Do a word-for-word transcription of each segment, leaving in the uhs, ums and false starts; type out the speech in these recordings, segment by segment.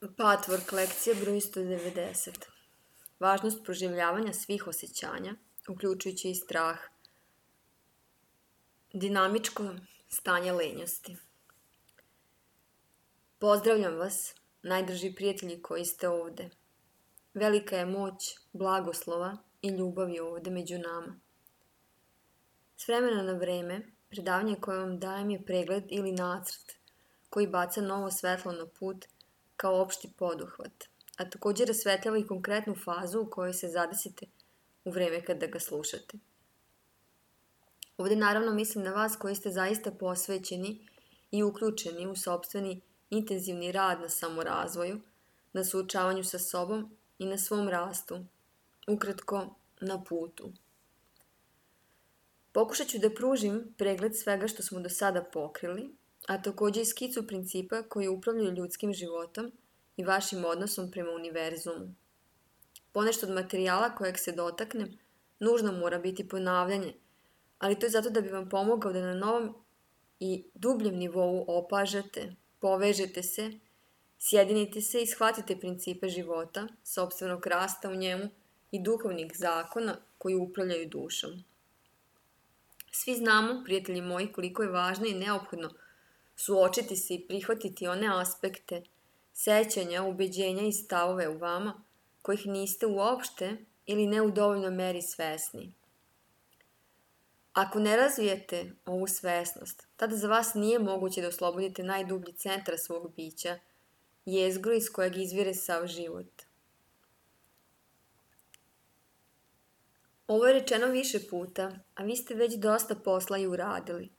Patchwork lekcija broj sto devedeset. Važnost proživljavanja svih osjećanja, uključujući i strah. Dinamičko stanje lenjosti. Pozdravljam vas, najdrži prijatelji koji ste ovde. Velika je moć blagoslova i ljubavi ovde među nama. S vremena na vreme, predavanje koje vam dajem je pregled ili nacrt koji baca novo svetlo na put kao opšti poduhvat, a također rasvetljava i konkretnu fazu u kojoj se zadesite u vreme kada ga slušate. Ovde naravno mislim na vas koji ste zaista posvećeni i uključeni u sopstveni intenzivni rad na samorazvoju, na suočavanju sa sobom i na svom rastu, ukratko na putu. Pokušat ću da pružim pregled svega što smo do sada pokrili, a također i skicu principa koji upravljaju ljudskim životom i vašim odnosom prema univerzumu. Ponešto od materijala kojeg se dotaknem nužno mora biti ponavljanje, ali to je zato da bi vam pomogao da na novom i dubljem nivou opažate, povežete se, sjedinite se i shvatite principe života, sopstvenog rasta u njemu i duhovnih zakona koji upravljaju dušom. Svi znamo, prijatelji moji, koliko je važno i neophodno suočiti se i prihvatiti one aspekte, sećanja, ubeđenja i stavove u vama kojih niste uopšte ili ne u dovoljnoj meri svesni. Ako ne razvijete ovu svesnost, tada za vas nije moguće da oslobodite najdublji centar svog bića, jezgru iz kojeg izvire sav život. Ovo je rečeno više puta, a vi ste već dosta posla i uradili.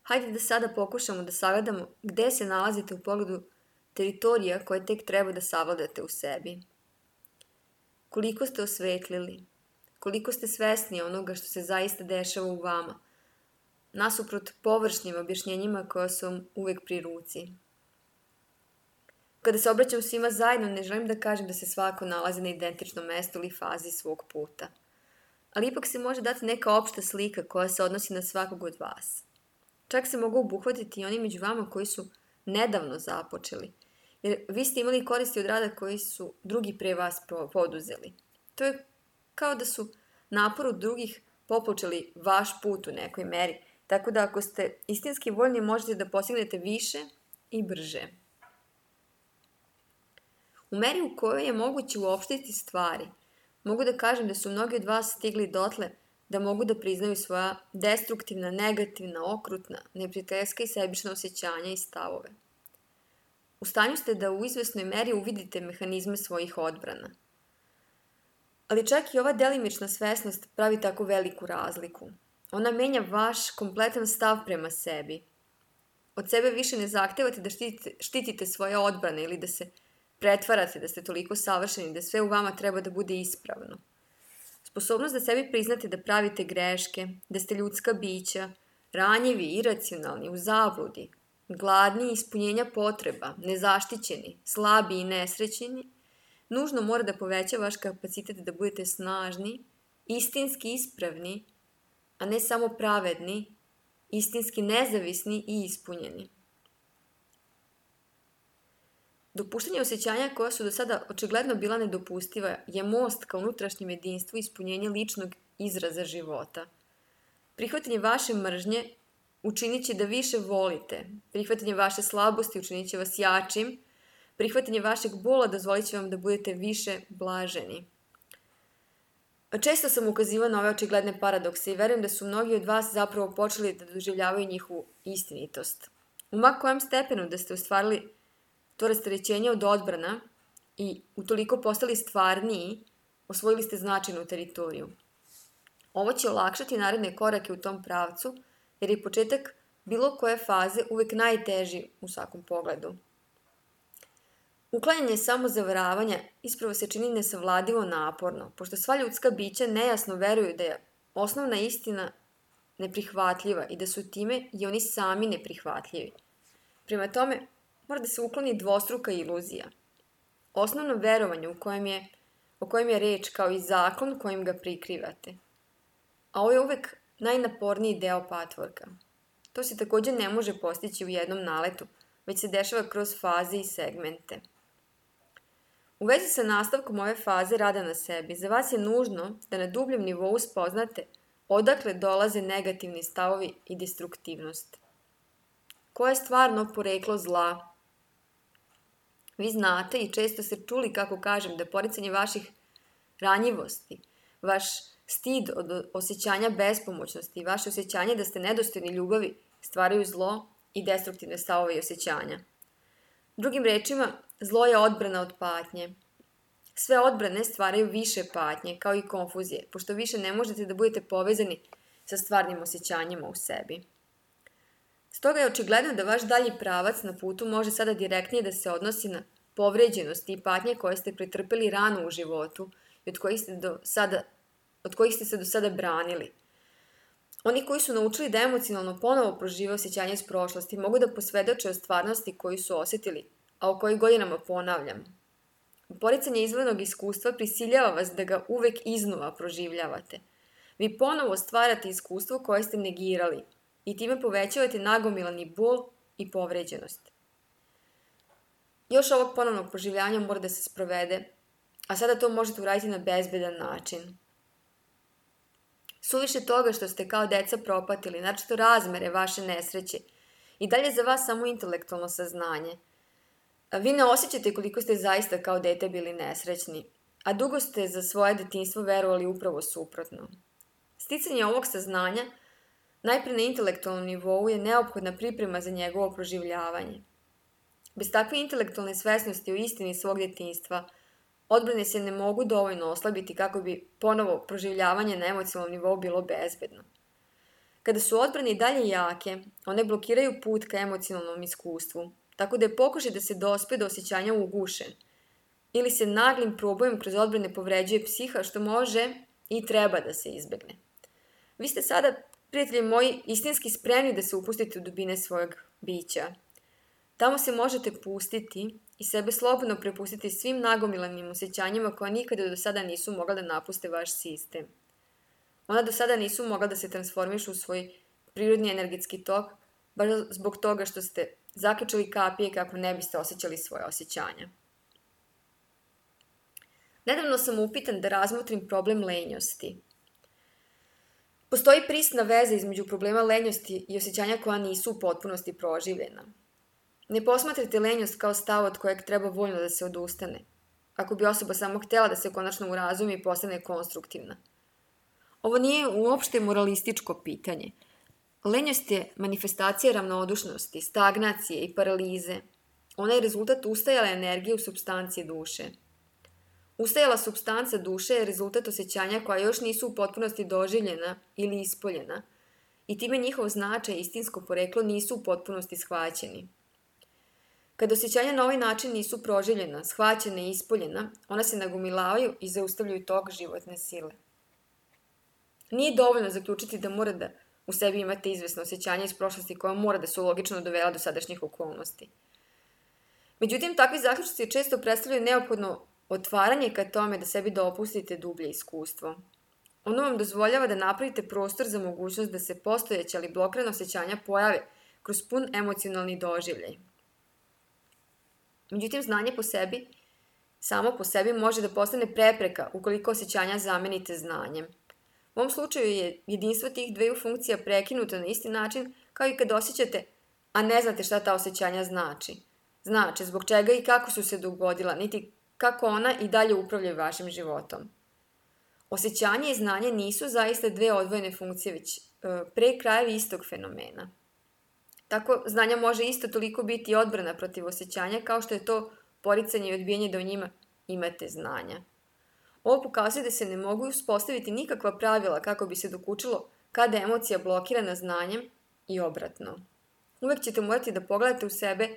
Hajde da sada pokušamo da sagledamo gde se nalazite u pogledu teritorija koje tek treba da savladate u sebi. Koliko ste osvetlili, koliko ste svesni onoga što se zaista dešava u vama, nasuprot površnim objašnjenjima koja su vam uvek pri ruci. Kada se obraćam svima zajedno, ne želim da kažem da se svako nalazi na identičnom mestu ili fazi svog puta. Ali ipak se može dati neka opšta slika koja se odnosi na svakog od vas. Čak se mogu obuhvatiti i oni među vama koji su nedavno započeli, jer vi ste imali koristi od rada koji su drugi pre vas poduzeli. To je kao da su naporu drugih popučali vaš put u nekoj meri, tako da ako ste istinski voljni možete da postignete više i brže. U meri u kojoj je moguće uopštiti stvari, mogu da kažem da su mnogi od vas stigli dotle da mogu da priznaju svoja destruktivna, negativna, okrutna, neprijateljska i sebična osjećanja i stavove. U stanju ste da u izvesnoj meri uvidite mehanizme svojih odbrana. Ali čak i ova delimična svesnost pravi tako veliku razliku. Ona menja vaš kompletan stav prema sebi. Od sebe više ne zahtevate da štitite, štitite svoje odbrane ili da se pretvarate da ste toliko savršeni da sve u vama treba da bude ispravno. Sposobnost da sebi priznate da pravite greške, da ste ljudska bića, ranjivi, iracionalni, u zabludi, gladni ispunjenja potreba, nezaštićeni, slabi i nesrećeni, nužno mora da poveća vaš kapacitet da budete snažni, istinski ispravni, a ne samo pravedni, istinski nezavisni i ispunjeni. Dopuštanje osjećanja koja su do sada očigledno bila nedopustiva je most ka unutrašnjem jedinstvu i ispunjenje ličnog izraza života. Prihvatanje vaše mržnje učinit će da više volite, prihvatanje vaše slabosti učinit će vas jačim, prihvatanje vašeg bola dozvolit će vam da budete više blaženi. Često sam ukazivala na ove očigledne paradokse i verujem da su mnogi od vas zapravo počeli da doživljavaju njihovu istinitost. U ma kojem stepenu da ste ostvarili to rasterećenje od odbrana i utoliko postali stvarniji, osvojili ste značajnu teritoriju. Ovo će olakšati naredne korake u tom pravcu, jer je početak bilo koje faze uvek najteži u svakom pogledu. Uklanjanje samozavaravanja ispravo se čini nesavladivo naporno, pošto sva ljudska bića nejasno veruju da je osnovna istina neprihvatljiva i da su time i oni sami neprihvatljivi. Prema tome, mora da se ukloni dvostruka iluzija. Osnovno verovanje u kojem je, o kojem je reč kao i zakon kojim ga prikrivate. A ovo je uvek najnaporniji deo patchworka. To se također ne može postići u jednom naletu, već se dešava kroz faze i segmente. U vezi sa nastavkom ove faze rada na sebi, za vas je nužno da na dubljem nivou spoznate odakle dolaze negativni stavovi i destruktivnost. Koje je stvarno poreklo zla? Vi znate i često ste čuli kako kažem da poricanje vaših ranjivosti, vaš stid od osjećanja bespomoćnosti i vaše osjećanje da ste nedostojni ljubavi stvaraju zlo i destruktivne stavove i osjećanja. Drugim rečima, zlo je odbrana od patnje. Sve odbrane stvaraju više patnje, kao i konfuzije, pošto više ne možete da budete povezani sa stvarnim osjećanjima u sebi. Stoga je očigledno da vaš dalji pravac na putu može sada direktnije da se odnosi na povređenosti i patnje koje ste pretrpeli rano u životu i od kojih ste, do sada, od kojih ste se do sada branili. Oni koji su naučili da emocionalno ponovo prožive osjećanje iz prošlosti mogu da posvedoče o stvarnosti koju su osjetili, a o kojoj godinama ponavljam. Poricanje izvornog iskustva prisiljava vas da ga uvek iznova proživljavate. Vi ponovo stvarate iskustvo koje ste negirali i time povećavate nagomilani bol i povređenost. Još ovog ponovnog proživljanja mora da se sprovede, a sada to možete uraditi na bezbedan način. Suviše toga što ste kao deca propatili, naročito razmere vaše nesreće, i dalje za vas samo intelektualno saznanje. Vi ne osjećate koliko ste zaista kao dete bili nesrećni, a dugo ste za svoje detinjstvo verovali upravo suprotno. Sticanje ovog saznanja, najpre na intelektualnom nivou, je neophodna priprema za njegovo proživljavanje. Bez takve intelektualne svesnosti o istini svog detinjstva, odbrane se ne mogu dovoljno oslabiti kako bi ponovo proživljavanje na emocionalnom nivou bilo bezbedno. Kada su odbrane i dalje jake, one blokiraju put ka emocionalnom iskustvu, tako da je pokušaj da se dospe do osjećanja ugušen, ili se naglim probojem kroz odbrane povređuje psiha, što može i treba da se izbegne. Vi ste sada, prijatelji moji, istinski spremni da se upustite u dubine svojeg bića. Tamo se možete pustiti i sebe slobodno prepustiti svim nagomilanim osjećanjima koja nikada do sada nisu mogla da napuste vaš sistem. Ona do sada nisu mogla da se transformišu u svoj prirodni energetski tok, baš zbog toga što ste zaključali kapije kako ne biste osjećali svoje osjećanja. Nedavno sam upitan da razmotrim problem lenjosti. Postoji prisna veza između problema lenjosti i osjećanja koja nisu u potpunosti proživljena. Ne posmatrajte lenjost kao stav od kojeg treba voljno da se odustane, ako bi osoba samo htela da se konačno urazumi i postane konstruktivna. Ovo nije uopšte moralističko pitanje. Lenjost je manifestacija ravnodušnosti, stagnacije i paralize. Ona je rezultat ustajale energije u supstanciji duše. Ustajala supstanca duše je rezultat osjećanja koja još nisu u potpunosti doživljena ili ispoljena i time njihov značaj i istinsko poreklo nisu u potpunosti shvaćeni. Kad osjećanja na ovaj način nisu proživljena, shvaćena i ispoljena, ona se nagomilavaju i zaustavljaju tok životne sile. Nije dovoljno zaključiti da mora da u sebi imate izvesno osjećanje iz prošlosti koja mora da su logično dovela do sadašnjih okolnosti. Međutim, takvi zaključci često predstavljaju neophodno otvaranje ka tome da sebi dopustite dublje iskustvo. Ono vam dozvoljava da napravite prostor za mogućnost da se postojeća ali blokirana osjećanja pojave kroz pun emocionalni doživljaj. Međutim, znanje po sebi, samo po sebi može da postane prepreka ukoliko osjećanja zamenite znanjem. U ovom slučaju je jedinstvo tih dveju funkcija prekinuto na isti način kao i kad osjećate, a ne znate šta ta osjećanja znači. Znači, zbog čega i kako su se dogodila, niti kako ona i dalje upravljaju vašim životom. Osjećanje i znanje nisu zaista dve odvojene funkcije, već e, pre krajevi istog fenomena. Tako, znanja može isto toliko biti odbrana protiv osjećanja kao što je to poricanje i odbijanje da o njima imate znanja. Ovo pokazuje da se ne mogu uspostaviti nikakva pravila kako bi se dokučilo kada je emocija blokirana znanjem i obratno. Uvek ćete morati da pogledate u sebe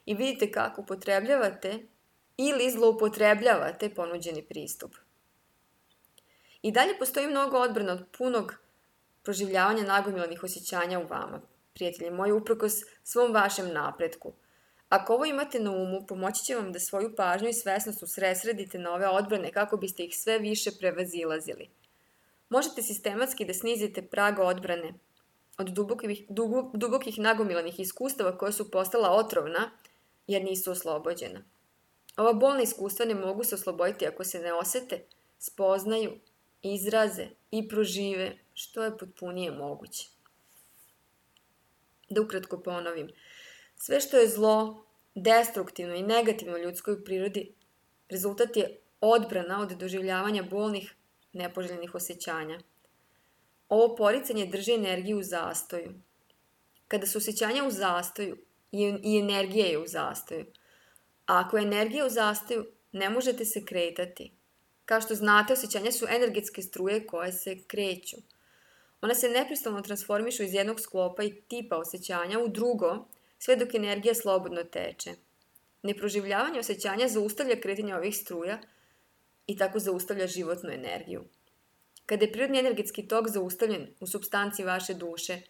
i vidite kako upotrebljavate ili zloupotrebljavate ponuđeni pristup. I dalje postoji mnogo odbrana od punog proživljavanja nagomilanih osjećanja u vama, prijatelji moji, uprkos svom vašem napretku. Ako ovo imate na umu, pomoći će vam da svoju pažnju i svesnost usredsredite na ove odbrane kako biste ih sve više prevazilazili. Možete sistematski da snizite prag odbrane od dubokih, dubokih nagomilanih iskustava koja su postala otrovna jer nisu oslobođena. Ova bolna iskustva ne mogu se osloboditi ako se ne osete, spoznaju, izraze i prožive što je potpunije moguće. Da ukratko ponovim, sve što je zlo, destruktivno i negativno u ljudskoj prirodi, rezultat je odbrana od doživljavanja bolnih, nepoželjenih osjećanja. Ovo poricanje drži energiju u zastoju. Kada su osjećanja u zastoju, i energija je u zastoju. A ako je energija u zastoju, ne možete se kretati. Kao što znate, osjećanja su energetske struje koje se kreću. Ona se neprestano transformišu iz jednog sklopa i tipa osjećanja u drugo, sve dok energija slobodno teče. Neproživljavanje osjećanja zaustavlja kretanje ovih struja i tako zaustavlja životnu energiju. Kada je prirodni energetski tok zaustavljen u supstanciji vaše duše,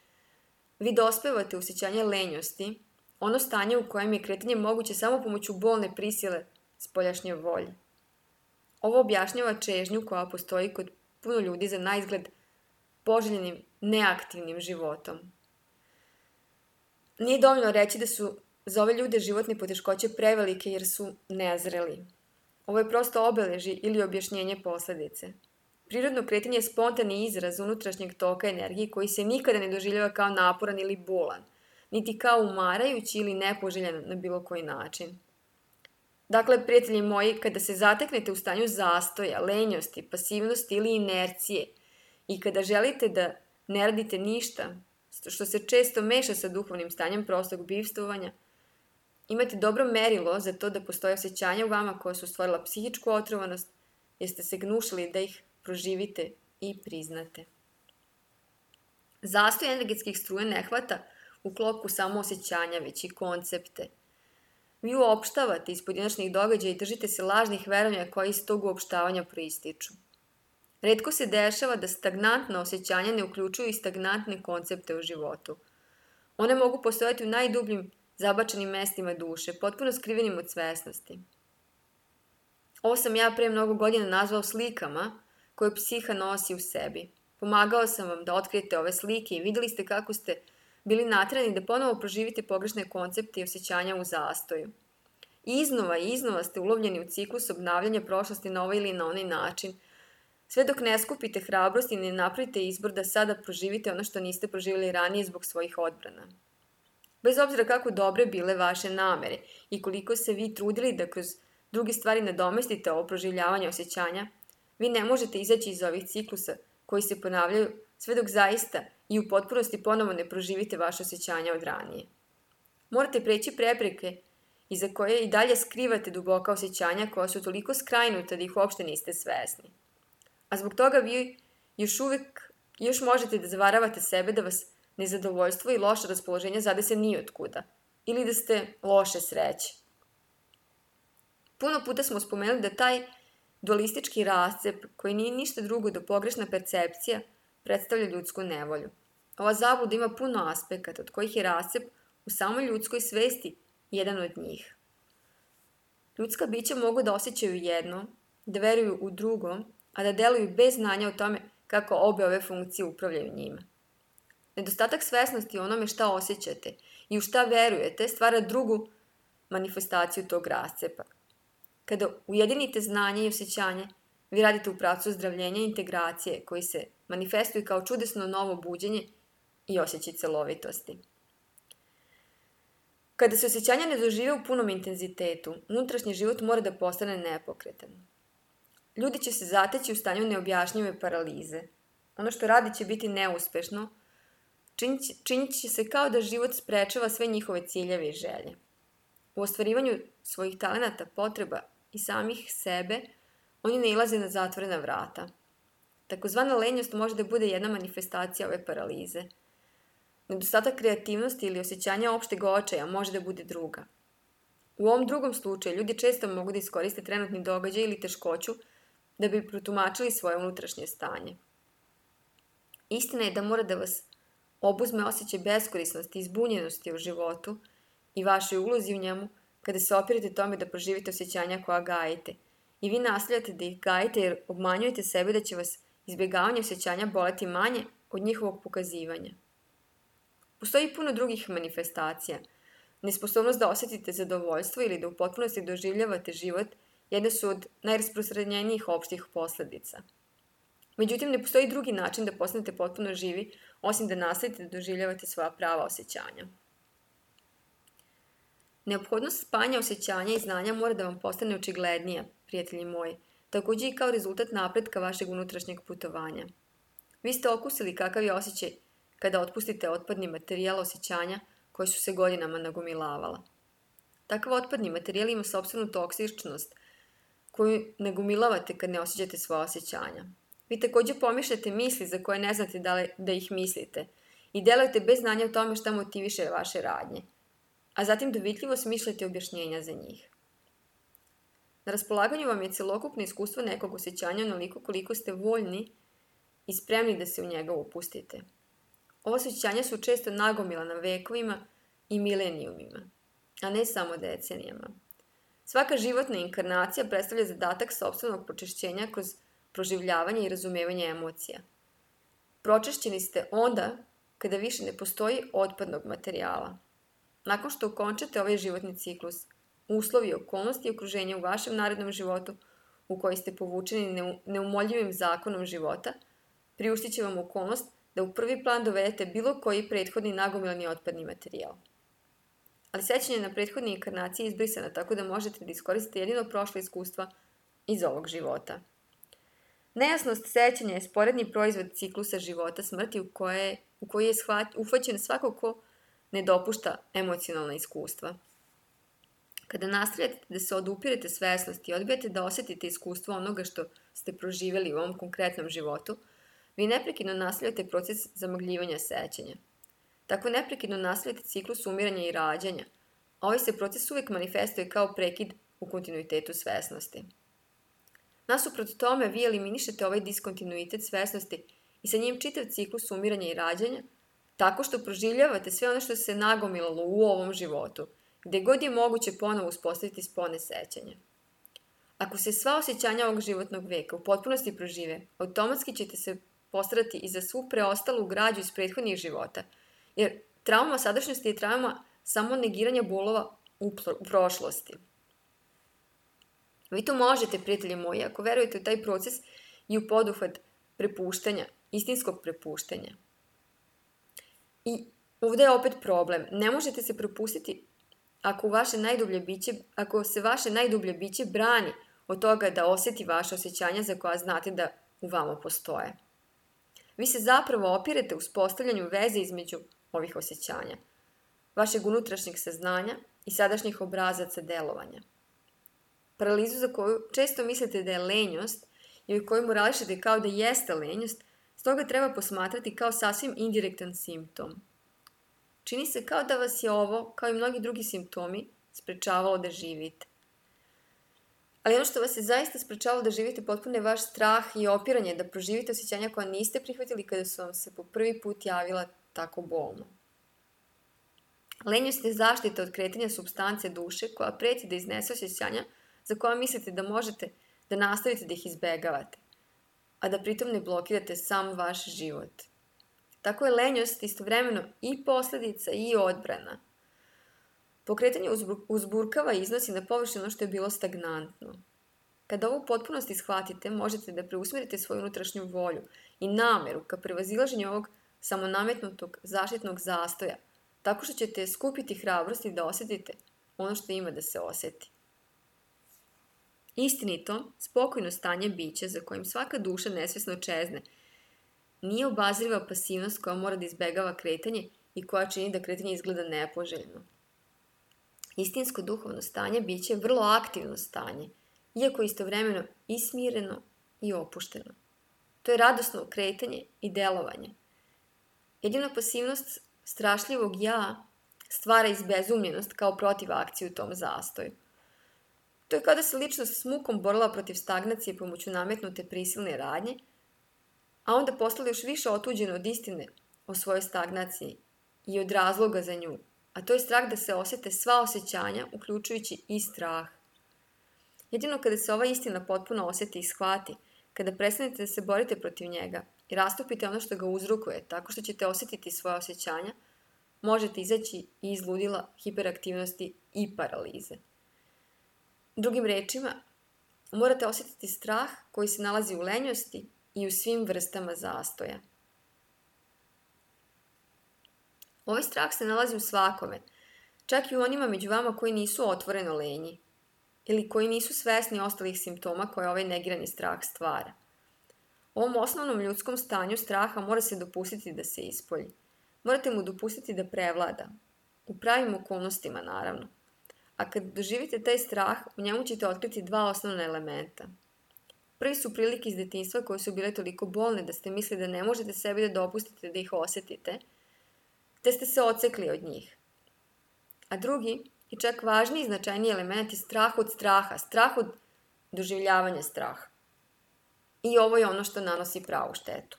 vi dospevate u osjećanje lenjosti, ono stanje u kojem je kretanje moguće samo pomoću bolne prisile spoljašnje volje. Ovo objašnjava čežnju koja postoji kod puno ljudi za naizgled poželjenim, neaktivnim životom. Nije dovoljno reći da su za ove ljude životne poteškoće prevelike jer su nezreli. Ovo je prosto obeleži ili objašnjenje posledice. Prirodno kretanje je spontani izraz unutrašnjeg toka energije koji se nikada ne doživljava kao naporan ili bolan, niti kao umarajući ili nepoželjan na bilo koji način. Dakle, prijatelji moji, kada se zateknete u stanju zastoja, lenjosti, pasivnosti ili inercije i kada želite da ne radite ništa, što se često meša sa duhovnim stanjem prostog bivstvovanja, imate dobro merilo za to da postoje osjećanja u vama koja su stvorila psihičku otrovanost, jer ste se gnušali da ih proživite i priznate. Zastoj energetskih struja ne hvata u klopku samo osjećanja, već i koncepte. Vi uopštavate iz pojedinačnih događaja i držite se lažnih verovanja koji iz tog uopštavanja proističu. Retko se dešava da stagnantna osjećanja ne uključuju i stagnantne koncepte u životu. One mogu postojati u najdubljim zabačenim mestima duše, potpuno skrivenim od svesnosti. Ovo sam ja pre mnogo godina nazvao slikama koje psiha nosi u sebi. Pomagao sam vam da otkrijete ove slike i videli ste kako ste bili naterani da ponovo proživite pogrešne koncepte i osjećanja u zastoju. I iznova i iznova ste ulovljeni u ciklus obnavljanja prošlosti na ovaj ili na onaj način, sve dok ne skupite hrabrost i ne napravite izbor da sada proživite ono što niste proživjeli ranije zbog svojih odbrana. Bez obzira kako dobre bile vaše namere i koliko se vi trudili da kroz druge stvari nadomestite ovo proživljavanje osjećanja, vi ne možete izaći iz ovih ciklusa koji se ponavljaju sve dok zaista i u potpunosti ponovo ne proživite vaše osjećanja od ranije. Morate preći prepreke iza koje i dalje skrivate duboka osjećanja koja su toliko skrajnuta da ih uopšte niste svesni. A zbog toga vi još uvek još možete da zavaravate sebe da vas nezadovoljstvo i loše raspoloženje zadese nijotkuda ili da ste loše sreće. Puno puta smo spomenuli da taj dualistički rascep, koji nije ništa drugo do pogrešna percepcija, predstavlja ljudsku nevolju. Ova zabluda ima puno aspekata, od kojih je rascep u samoj ljudskoj svesti jedan od njih. Ljudska bića mogu da osjećaju jedno, da veruju u drugo, a da deluju bez znanja o tome kako obe ove funkcije upravljaju njima. Nedostatak svesnosti o onome šta osjećate i u šta verujete stvara drugu manifestaciju tog rascepa. Kada ujedinite znanje i osjećanje, vi radite u pravcu ozdravljenja i integracije koji se manifestuju kao čudesno novo buđenje i osjećaj celovitosti. Kada se osjećanja ne dožive u punom intenzitetu, unutrašnji život mora da postane nepokretan. Ljudi će se zateći u stanju neobjašnjive paralize. Ono što radi će biti neuspešno, činit će se kao da život sprečava sve njihove ciljeve i želje. U ostvarivanju svojih talenata, potreba i samih sebe, oni nailaze na zatvorena vrata. Takozvana lenjost može da bude jedna manifestacija ove paralize. Nedostatak kreativnosti ili osjećanja opšteg očaja može da bude druga. U ovom drugom slučaju ljudi često mogu da iskoriste trenutni događaj ili teškoću da bi protumačili svoje unutrašnje stanje. Istina je da mora da vas obuzme osjećaj beskorisnosti i zbunjenosti u životu i vašoj ulozi u njemu kada se opirate tome da proživite osjećanja koja gajite. I vi nastavljate da ih gajite jer obmanjujete sebe da će vas izbjegavanje osjećanja boleti manje od njihovog pokazivanja. Postoji puno drugih manifestacija nesposobnost da osetite zadovoljstvo ili da u potpunosti doživljavate život jedne su od najrasprostranjenijih opštih posledica. Međutim, ne postoji drugi način da postanete potpuno živi, osim da nastavite da doživljavate svoja prava osjećanja. Neophodnost spajanja osjećanja i znanja mora da vam postane očiglednija, prijatelji moji, takođe i kao rezultat napretka vašeg unutrašnjeg putovanja. Vi ste okusili kakav je osjećaj kada otpustite otpadni materijal osjećanja koji su se godinama nagomilavala. Takav otpadni materijal ima sopstvenu toksičnost koju nagomilavate kad ne osjećate svoje osjećanja. Vi takođe pomišljate misli za koje ne znate da, li, da ih mislite i delujete bez znanja o tome šta motiviše vaše radnje, a zatim dovitljivo smišljate objašnjenja za njih. Na raspolaganju vam je celokupno iskustvo nekog osjećanja onoliko koliko ste voljni i spremni da se u njega upustite. Ova osjećanja su često nagomilana vekovima i milenijumima, a ne samo decenijama. Svaka životna inkarnacija predstavlja zadatak sopstvenog pročišćenja kroz proživljavanje i razumevanje emocija. Pročišćeni ste onda kada više ne postoji otpadnog materijala. Nakon što okončate ovaj životni ciklus, uslovi, okolnosti i okruženje u vašem narednom životu u koji ste povučeni neumoljivim zakonom života, priuštit će vam okolnost da u prvi plan dovedete bilo koji prethodni nagomilani otpadni materijal. Ali sećanje na prethodne inkarnacije je izbrisano, tako da možete da iskoristite jedino prošle iskustva iz ovog života. Nejasnost sećanja je sporedni proizvod ciklusa života smrti u, koje, u koji je shvat, uhvaćen svako ko ne dopušta emocionalna iskustva. Kada nastavljate da se odupirete svesnosti i odbijate da osetite iskustvo onoga što ste proživjeli u ovom konkretnom životu, vi neprekidno nastavljate proces zamagljivanja sećanja. Tako neprekidno nastavljate ciklus umiranja i rađanja, a ovaj se proces uvek manifestuje kao prekid u kontinuitetu svesnosti. Nasuprot tome, vi eliminišete ovaj diskontinuitet svesnosti i sa njim čitav ciklus umiranja i rađanja, tako što proživljavate sve ono što se nagomilalo u ovom životu, gde god je moguće ponovo uspostaviti spone sećanja. Ako se sva osjećanja ovog životnog veka u potpunosti prožive, automatski ćete se postarati i za svu preostalu građu iz prethodnih života, jer trauma sadašnjosti je trauma samo negiranja bolova u prošlosti. Vi to možete, prijatelji moji, ako verujete u taj proces i u poduhvat prepuštanja, istinskog prepuštanja. I ovde je opet problem. Ne možete se prepustiti ako, vaše najdublje biće, ako se vaše najdublje biće brani od toga da oseti vaše osjećanja za koja znate da u vama postoje. Vi se zapravo opirete u uspostavljanju veze između ovih osjećanja, vašeg unutrašnjeg saznanja i sadašnjih obrazaca delovanja. Paralizu za koju često mislite da je lenjost i u kojoj morališete kao da jeste lenjost, stoga treba posmatrati kao sasvim indirektan simptom. Čini se kao da vas je ovo, kao i mnogi drugi simptomi, sprečavalo da živite. Ali ono što vas je zaista sprečavalo da živite potpuno je vaš strah i opiranje da proživite osjećanja koja niste prihvatili kada su vam se po prvi put javila tako bolno. Lenjost je zaštita od kretanja supstance duše koja preti da iznese osjećanja za koja mislite da možete da nastavite da ih izbegavate, a da pritom ne blokirate sam vaš život. Tako je lenjost istovremeno i posledica i odbrana. Pokretanje uzburkava i iznosi na površinu ono što je bilo stagnantno. Kada ovo u potpunosti shvatite, možete da preusmerite svoju unutrašnju volju i nameru ka prevazilaženju ovog samonametnutog zaštitnog zastoja, tako što ćete skupiti hrabrosti da osetite ono što ima da se oseti. Istinito, spokojno stanje bića za kojim svaka duša nesvesno čezne, nije obazriva pasivnost koja mora da izbegava kretanje i koja čini da kretanje izgleda nepoželjno. Istinsko duhovno stanje biće je vrlo aktivno stanje, iako istovremeno i smireno i opušteno. To je radosno kretanje i delovanje. Jedina pasivnost strašljivog ja stvara izbezumljenost kao protivakciju u tom zastoju. To je kada se ličnost s mukom borila protiv stagnacije pomoću nametnute prisilne radnje, a onda postala još više otuđena od istine o svojoj stagnaciji i od razloga za nju, a to je strah da se osete sva osjećanja, uključujući i strah. Jedino kada se ova istina potpuno oseti i shvati, kada prestanete da se borite protiv njega i rastupite ono što ga uzrokuje, tako što ćete osetiti svoje osjećanja, možete izaći iz ludila, hiperaktivnosti i paralize. Drugim rečima, morate osjetiti strah koji se nalazi u lenjosti i u svim vrstama zastoja. Ovaj strah se nalazi u svakome, čak i u onima među vama koji nisu otvoreno lenji ili koji nisu svesni ostalih simptoma koje ovaj negirani strah stvara. Ovom osnovnom ljudskom stanju straha mora se dopustiti da se ispolji. Morate mu dopustiti da prevlada. U pravim okolnostima, naravno. A kad doživite taj strah, u njemu ćete otkriti dva osnovna elementa. Prvi su prilike iz detinjstva koje su bile toliko bolne da ste mislili da ne možete sebi da dopustite da ih osetite, te ste se odsekli od njih. A drugi, i čak važniji i značajniji element je strah od straha, strah od doživljavanja straha. I ovo je ono što nanosi pravu štetu.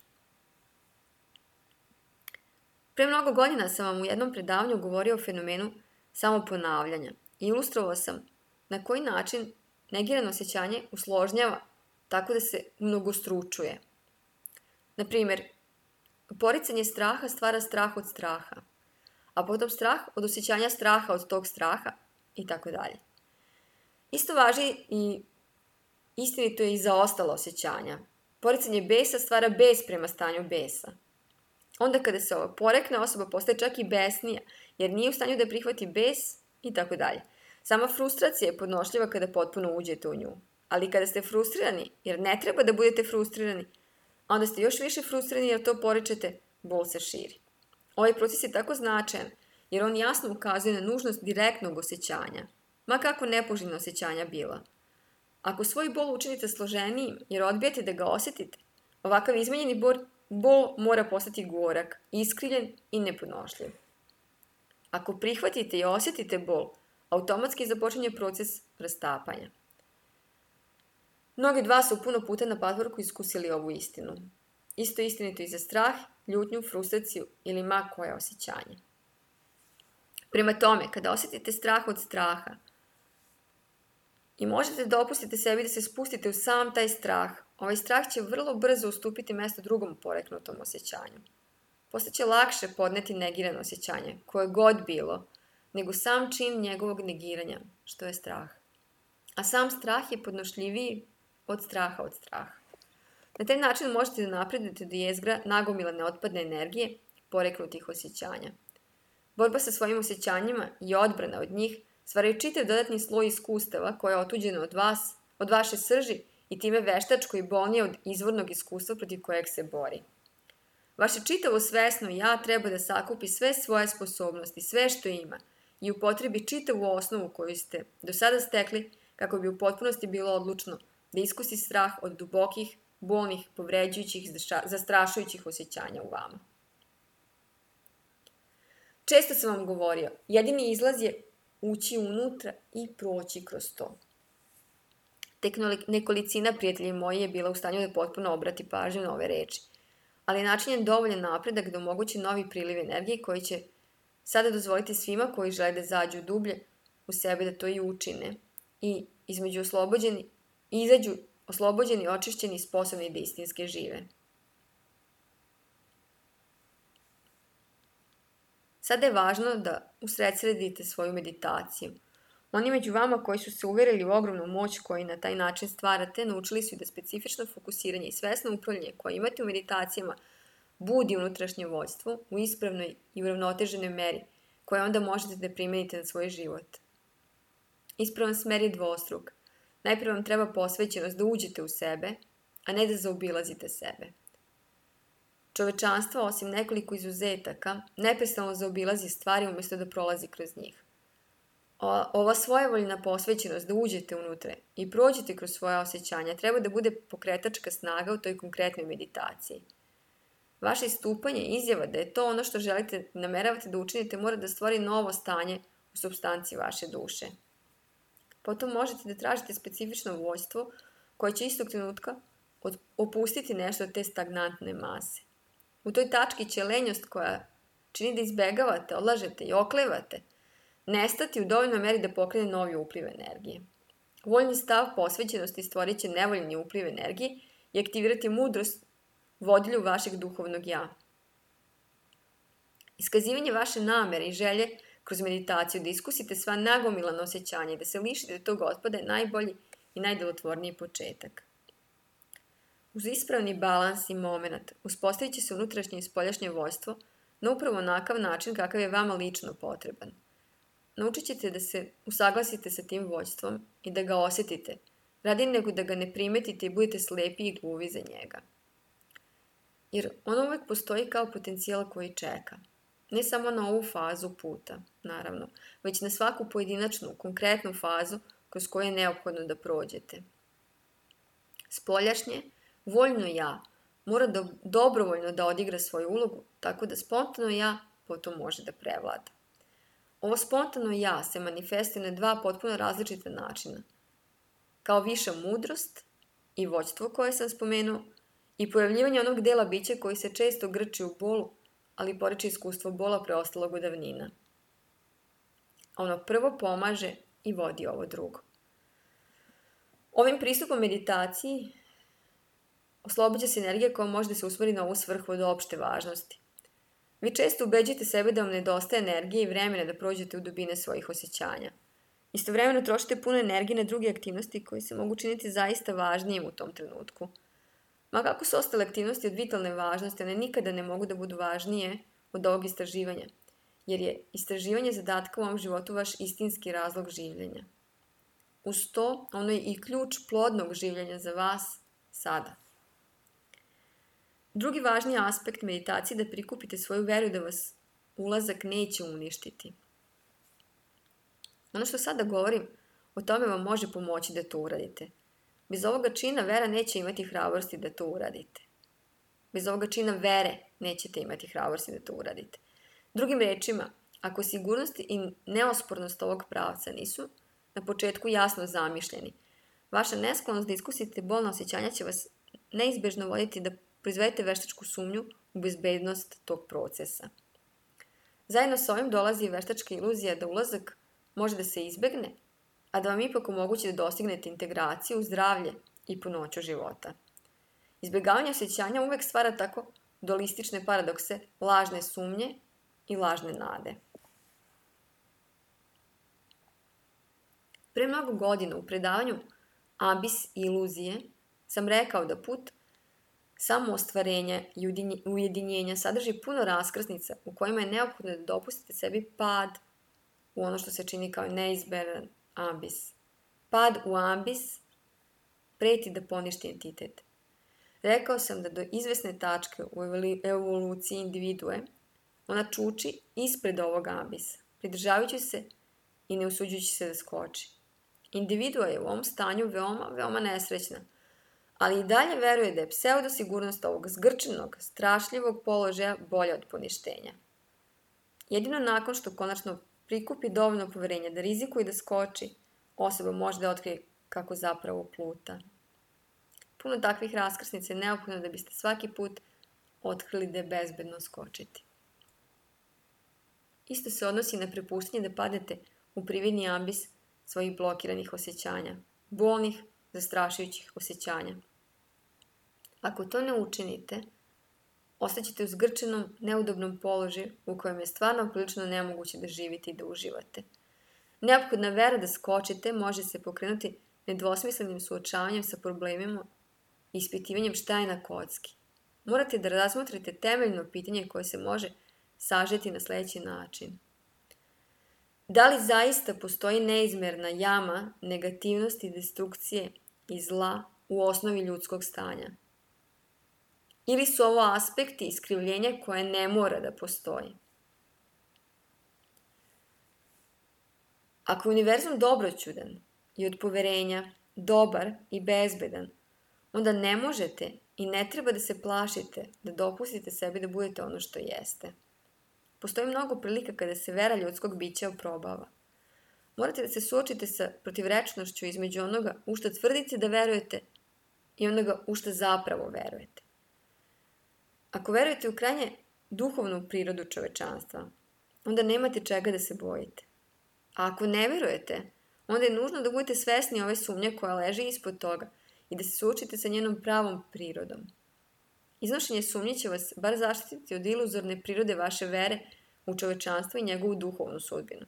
Pre mnogo godina sam vam u jednom predavanju govorio o fenomenu samoponavljanja i ilustrovao sam na koji način negirano osjećanje usložnjava tako da se mnogostručuje. Naprimer, poricanje straha stvara strah od straha, a potom strah od osjećanja straha od tog straha i tako dalje. Isto važi i istinito je i za ostala osjećanja. Poricanje besa stvara bes prema stanju besa. Onda kada se ovo porekne, osoba postaje čak i besnija, jer nije u stanju da prihvati bes i tako dalje. Sama frustracija je podnošljiva kada potpuno uđete u nju. Ali kada ste frustrirani, jer ne treba da budete frustrirani, onda ste još više frustrirani jer to poričete, bol se širi. Ovaj proces je tako značajan, jer on jasno ukazuje na nužnost direktnog osjećanja, ma kako nepoželjna osjećanja bila. Ako svoj bol učinite složenijim, jer odbijate da ga osjetite, ovakav izmenjeni bol, bol mora postati gorak, iskrivljen i nepodnošljiv. Ako prihvatite i osjetite bol, automatski započinje proces rastapanja. Mnogi od vas su puno puta na patvorku iskusili ovu istinu. Isto istinito i za strah, ljutnju, frustraciju ili ma koje osjećanje. Prema tome, kada osjetite strah od straha i možete dopustiti sebi da se spustite u sam taj strah, ovaj strah će vrlo brzo ustupiti mesto drugom poreknutom osjećanju. Postaće lakše podneti negirano osjećanje, koje god bilo, nego sam čin njegovog negiranja, što je strah. A sam strah je podnošljiviji od straha od straha. Na taj način možete da napredujete do jezgra nagomilane otpadne energije, poreknutih osjećanja. Borba sa svojim osjećanjima i odbrana od njih stvaraju čitav dodatni sloj iskustava koja je otuđena od vas, od vaše srži i time veštačko i bolnije od izvornog iskustva protiv kojeg se bori. Vaše čitavo svesno ja treba da sakupi sve svoje sposobnosti, sve što ima i upotrebi čitavu osnovu koju ste do sada stekli kako bi u potpunosti bilo odlučno da iskusi strah od dubokih, bolnih, povređujućih, zastrašujućih osjećanja u vama. Često sam vam govorio, jedini izlaz je ući unutra i proći kroz to. Tek nekolicina prijatelji moji je bila u stanju da potpuno obrati pažnju na ove reči, ali način je dovoljan napredak da omogući novi priliv energije koji će sada dozvoliti svima koji žele da zađu dublje u sebe da to i učine i između oslobođeni, izađu oslobođeni, očišćeni i sposobni da istinske žive. Sada je važno da usredsredite svoju meditaciju. Oni među vama koji su se uverili u ogromnu moć koju na taj način stvarate, naučili su da specifično fokusiranje i svesno upravljanje koje imate u meditacijama budi unutrašnje vođstvo u ispravnoj i uravnoteženoj meri, koje onda možete da primenite na svoj život. Ispravan smer je dvostruk. Najprije vam treba posvećenost da uđete u sebe, a ne da zaobilazite sebe. Čovečanstvo, osim nekoliko izuzetaka, neprestano zaobilazi stvari umjesto da prolazi kroz njih. Ova svojevoljna posvećenost da uđete unutra i prođete kroz svoja osjećanja treba da bude pokretačka snaga u toj konkretnoj meditaciji. Vaše istupanje i izjava da je to ono što želite, nameravate da učinite, mora da stvori novo stanje u supstanciji vaše duše. Potom možete da tražite specifično vođstvo koje će istog trenutka opustiti nešto od te stagnantne mase. U toj tački će lenjost koja čini da izbegavate, odlažete i oklevate, nestati u dovoljnoj meri da pokrene novi upliv energije. Voljni stav posvećenosti stvorit će nevoljni upliv energije i aktivirati mudrost vodilju vašeg duhovnog ja. Iskazivanje vaše namere i želje kroz meditaciju da iskusite sva nagomilana osjećanja i da se lišite tog otpada je najbolji i najdelotvorniji početak. Uz ispravni balans i moment uspostavit će se unutrašnje i spoljašnje voljstvo na upravo onakav način kakav je vama lično potreban. Naučit ćete da se usaglasite sa tim voljstvom i da ga osjetite, radi nego da ga ne primetite i budete slepi i gluvi za njega. Jer ono uvek postoji kao potencijal koji čeka. Ne samo na ovu fazu puta, naravno, već na svaku pojedinačnu, konkretnu fazu kroz koju je neophodno da prođete. Spoljašnje, voljno ja, mora da dobrovoljno da odigra svoju ulogu, tako da spontano ja potom može da prevlada. Ovo spontano ja se manifestuje na dva potpuno različita načina. Kao viša mudrost i vođstvo koje sam spomenuo i pojavljivanje onog dela bića koji se često grči u bolu, ali poreče iskustvo bola preostalog od davnina. Ono prvo pomaže i vodi ovo drugo. Ovim pristupom meditaciji oslobađa se energija koja može da se usmeri na ovu svrhu od opšte važnosti. Vi često ubeđujete sebe da vam nedostaje energije i vremena da prođete u dubine svojih osjećanja. Istovremeno trošite puno energije na druge aktivnosti koje se mogu činiti zaista važnijim u tom trenutku. Ma kako su ostale aktivnosti od vitalne važnosti, one nikada ne mogu da budu važnije od ovog istraživanja, jer je istraživanje zadatka u ovom životu vaš istinski razlog življenja. Uz to, ono je i ključ plodnog življenja za vas sada. Drugi važni aspekt meditacije je da prikupite svoju veru da vas ulazak neće uništiti. Ono što sada govorim, o tome vam može pomoći da to uradite. Bez ovoga čina vera neće imati hrabrosti da to uradite. Bez ovoga čina vere nećete imati hrabrosti da to uradite. Drugim rečima, ako sigurnost i neospornost ovog pravca nisu na početku jasno zamišljeni, vaša nesklonost da iskusite bolna osjećanja će vas neizbežno voditi da proizvedete veštačku sumnju u bezbednost tog procesa. Zajedno sa ovim dolazi veštačka iluzija da ulazak može da se izbegne, a da vam ipak omogući da dostignete integraciju, zdravlje i punoću života. Izbjegavanje osjećanja uvek stvara tako dualistične paradokse, lažne sumnje i lažne nade. Pre mnogo godina u predavanju Abis i iluzije sam rekao da put samo ostvarenja i ujedinjenja sadrži puno raskrsnica u kojima je neophodno da dopustite sebi pad u ono što se čini kao neizberan ambis. Pad u ambis preti da poništi entitet. Rekao sam da do izvesne tačke u evoluciji individue ona čuči ispred ovog ambisa, pridržavajući se i ne usuđujući se da skoči. Individua je u ovom stanju veoma, veoma nesrećna, ali i dalje veruje da je pseudosigurnost ovog zgrčenog, strašljivog položaja bolja od poništenja. Jedino nakon što konačno prikupi dovoljno poverenja da rizikuje da skoči, osoba može da otkrije kako zapravo pluta. Puno takvih raskrsnica je neophodno da biste svaki put otkrili da je bezbedno skočiti. Isto se odnosi na prepuštanje da padete u prividni ambis svojih blokiranih osjećanja, bolnih, zastrašujućih osjećanja. Ako to ne učinite, ostaćete u zgrčenom, neudobnom položaju u kojem je stvarno prilično nemoguće da živite i da uživate. Neophodna vera da skočite može se pokrenuti nedvosmislenim suočavanjem sa problemima i ispitivanjem šta je na kocki. Morate da razmotrite temeljno pitanje koje se može sažeti na sledeći način. Da li zaista postoji neizmerna jama negativnosti, destrukcije i zla u osnovi ljudskog stanja? Ili su ovo aspekti iskrivljenja koje ne mora da postoji? Ako je univerzum dobroćudan i od poverenja, dobar i bezbedan, onda ne možete i ne treba da se plašite da dopustite sebi da budete ono što jeste. Postoji mnogo prilika kada se vera ljudskog bića oprobava. Morate da se suočite sa protivrečnošću između onoga u šta tvrdite da verujete i onoga u šta zapravo verujete. Ako verujete u krajnje duhovnu prirodu čovečanstva, onda nemate čega da se bojite. A ako ne verujete, onda je nužno da budete svesni ove sumnje koja leži ispod toga i da se suočite sa njenom pravom prirodom. Iznošenje sumnje će vas bar zaštititi od iluzorne prirode vaše vere u čovečanstvo i njegovu duhovnu sudbinu.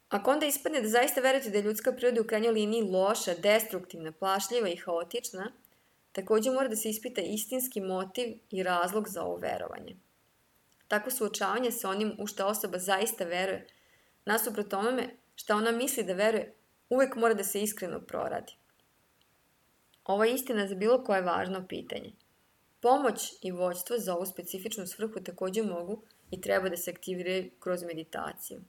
Ako onda ispadne da zaista verujete da je ljudska priroda u krajnjoj liniji loša, destruktivna, plašljiva i haotična, takođe mora da se ispita istinski motiv i razlog za ovo verovanje. Tako suočavanje sa onim u šta osoba zaista veruje, nasuprot onome šta ona misli da veruje, uvek mora da se iskreno proradi. Ovo je istina za bilo koje važno pitanje. Pomoć i vođstvo za ovu specifičnu svrhu takođe mogu i treba da se aktiviraju kroz meditaciju.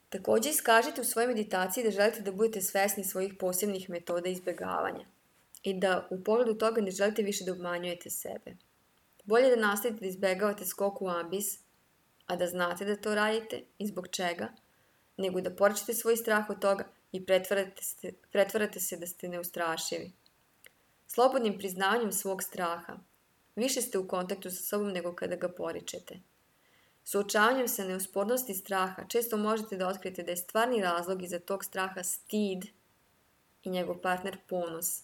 Takođe iskažite u svojoj meditaciji da želite da budete svesni svojih posebnih metoda izbegavanja i da u pogledu toga ne želite više da obmanjujete sebe. Bolje da nastavite da izbegavate skok u ambis, a da znate da to radite i zbog čega, nego da porečete svoj strah od toga i pretvarate se, pretvarate se da ste neustrašivi. Slobodnim priznavanjem svog straha, više ste u kontaktu sa sobom nego kada ga poričete. Suočavanjem sa neuspornosti straha često možete da otkrijete da je stvarni razlog iza tog straha stid i njegov partner ponos.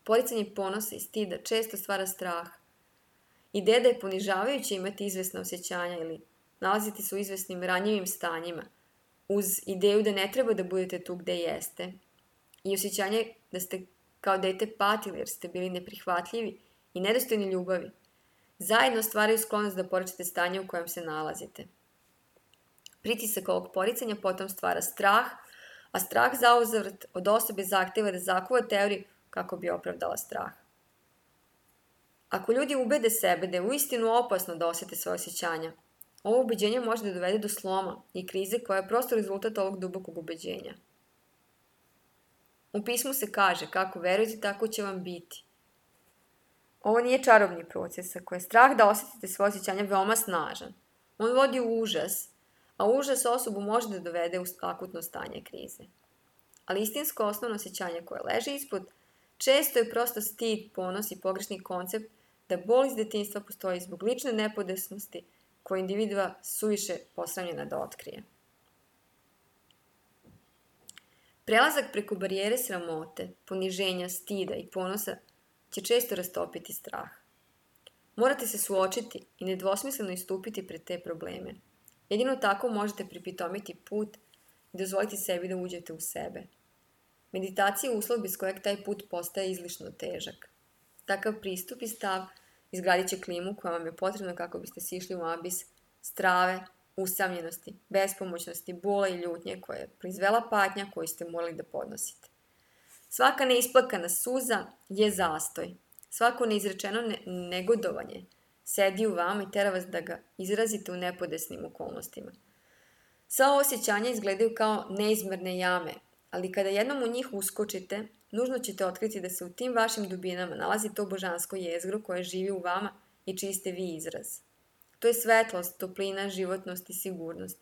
Poricanje ponosa i stida često stvara strah. Ideja da je ponižavajuće imati izvesna osjećanja ili nalaziti se u izvesnim ranjivim stanjima, uz ideju da ne treba da budete tu gde jeste i osjećanje da ste kao dete patili jer ste bili neprihvatljivi i nedostojni ljubavi, zajedno stvaraju sklonost da porečete stanje u kojem se nalazite. Pritisak ovog poricanja potom stvara strah, a strah zauzvrat od osobe zahteva da zakuva teoriju kako bi opravdala strah. Ako ljudi ubede sebe da je uistinu opasno da osete svoje osjećanja, ovo ubeđenje može da dovede do sloma i krize koja je prosto rezultat ovog dubokog ubeđenja. U pismu se kaže kako verujete tako će vam biti. Ovo nije čarobni proces, ako je strah da osetite svoje osjećanja veoma snažan. On vodi u užas, a užas osobu može da dovede u akutno stanje krize. Ali istinsko osnovno osjećanje koje leži ispod često je prosto stid, ponos i pogrešni koncept da bol iz detinjstva postoji zbog lične nepodesnosti koju individua suviše posramljena da otkrije. Prelazak preko barijere sramote, poniženja, stida i ponosa će često rastopiti strah. Morate se suočiti i nedvosmisleno istupiti pred te probleme. Jedino tako možete pripitomiti put i dozvoliti sebi da uđete u sebe. Meditacija je uslov bez kojeg taj put postaje izlišno težak. Takav pristup i stav izgradit će klimu koja vam je potrebna kako biste sišli u ambis strave, usamljenosti, bespomoćnosti, bola i ljutnje koje je proizvela patnja koju ste morali da podnosite. Svaka neisplakana suza je zastoj. Svako neizrečeno ne negodovanje sedi u vama i tera vas da ga izrazite u nepodesnim okolnostima. Sva osjećanja izgledaju kao neizmerne jame, ali kada jednom u njih uskočite, nužno ćete otkriti da se u tim vašim dubinama nalazi to božansko jezgro koje živi u vama i čiji ste vi izraz. To je svetlost, toplina, životnost i sigurnost.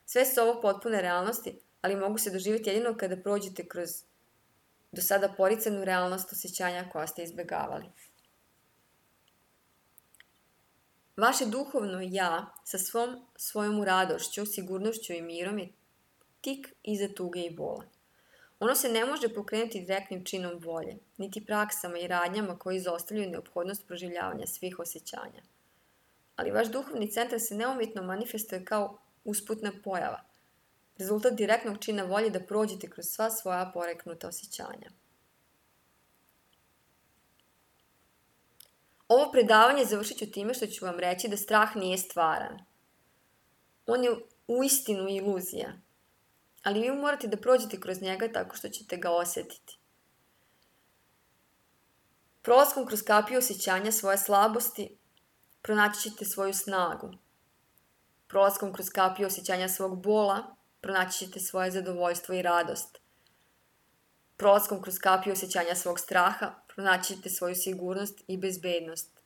Sve su ovo potpune realnosti, ali mogu se doživjeti jedino kada prođete kroz do sada poricanu realnost osjećanja koja ste izbegavali. Vaše duhovno ja sa svom svojom radošću, sigurnošću i mirom je tik iza tuge i bola. Ono se ne može pokrenuti direktnim činom volje, niti praksama i radnjama koji izostavljaju neophodnost proživljavanja svih osjećanja. Ali vaš duhovni centar se neumjetno manifestuje kao usputna pojava, rezultat direktnog čina volje da prođete kroz sva svoja poreknuta osjećanja. Ovo predavanje završit ću time što ću vam reći da strah nije stvaran. On je uistinu iluzija, ali vi morate da prođete kroz njega tako što ćete ga osjetiti. Prolaskom kroz kapiju osjećanja svoje slabosti pronaći ćete svoju snagu. Prolaskom kroz kapiju osjećanja svog bola pronaći ćete svoje zadovoljstvo i radost. Prolaskom kroz kapiju osjećanja svog straha pronaći ćete svoju sigurnost i bezbednost.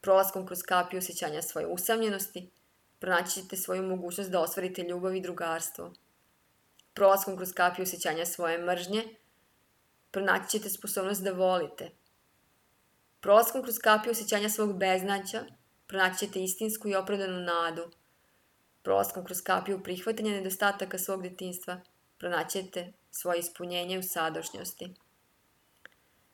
Prolaskom kroz kapiju osjećanja svoje usamljenosti pronaći ćete svoju mogućnost da ostvarite ljubav i drugarstvo. Prolaskom kroz kapiju osjećanja svoje mržnje pronaći ćete sposobnost da volite. Prolaskom kroz kapiju osjećanja svog beznađa pronaći ćete istinsku i opravdanu nadu. Prolaskom kroz kapiju prihvatanja nedostataka svog detinjstva pronaći ćete svoje ispunjenje u sadašnjosti.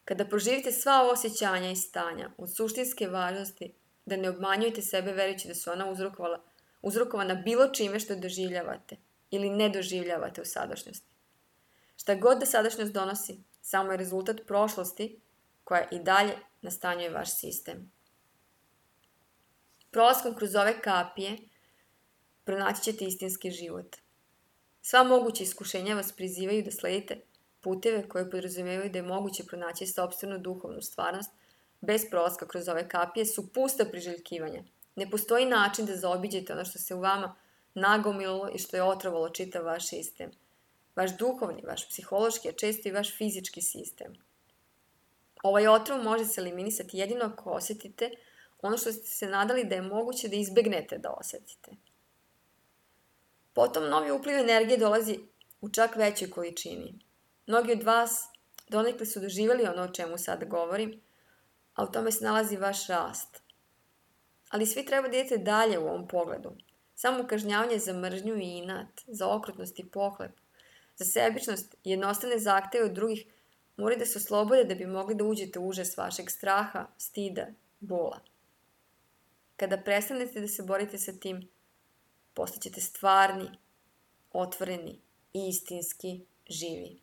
Kada proživite sva ova osjećanja i stanja od suštinske važnosti, da ne obmanjujete sebe verujući da su ona uzrokovala, uzrokovana bilo čime što doživljavate ili ne doživljavate u sadašnjosti. Šta god da sadašnjost donosi, samo je rezultat prošlosti koja i dalje nastanjuje vaš sistem. Prolaskom kroz ove kapije pronaći ćete istinski život. Sva moguća iskušenja vas prizivaju da sledite puteve koje podrazumevaju da je moguće pronaći sopstvenu duhovnu stvarnost bez prolaska kroz ove kapije su pusta priželjkivanja. Ne postoji način da zaobiđete ono što se u vama nagomililo i što je otrovalo čitav vaš sistem. Vaš duhovni, vaš psihološki, a često i vaš fizički sistem. Ovaj otrov može se eliminisati jedino ako osetite ono što ste se nadali da je moguće da izbegnete da osetite. Potom novi upliv energije dolazi u čak većoj količini. Mnogi od vas donekle su doživjeli ono o čemu sad govorim, a u tome se nalazi vaš rast. Ali svi treba da idete dalje u ovom pogledu. Samo kažnjavanje za mržnju i inat, za okrutnost i pohlep, za sebičnost i jednostavne zahteve od drugih moraju da se oslobode da bi mogli da uđete u užas vašeg straha, stida, bola. Kada prestanete da se borite sa tim, postaćete stvarni, otvoreni i istinski živi.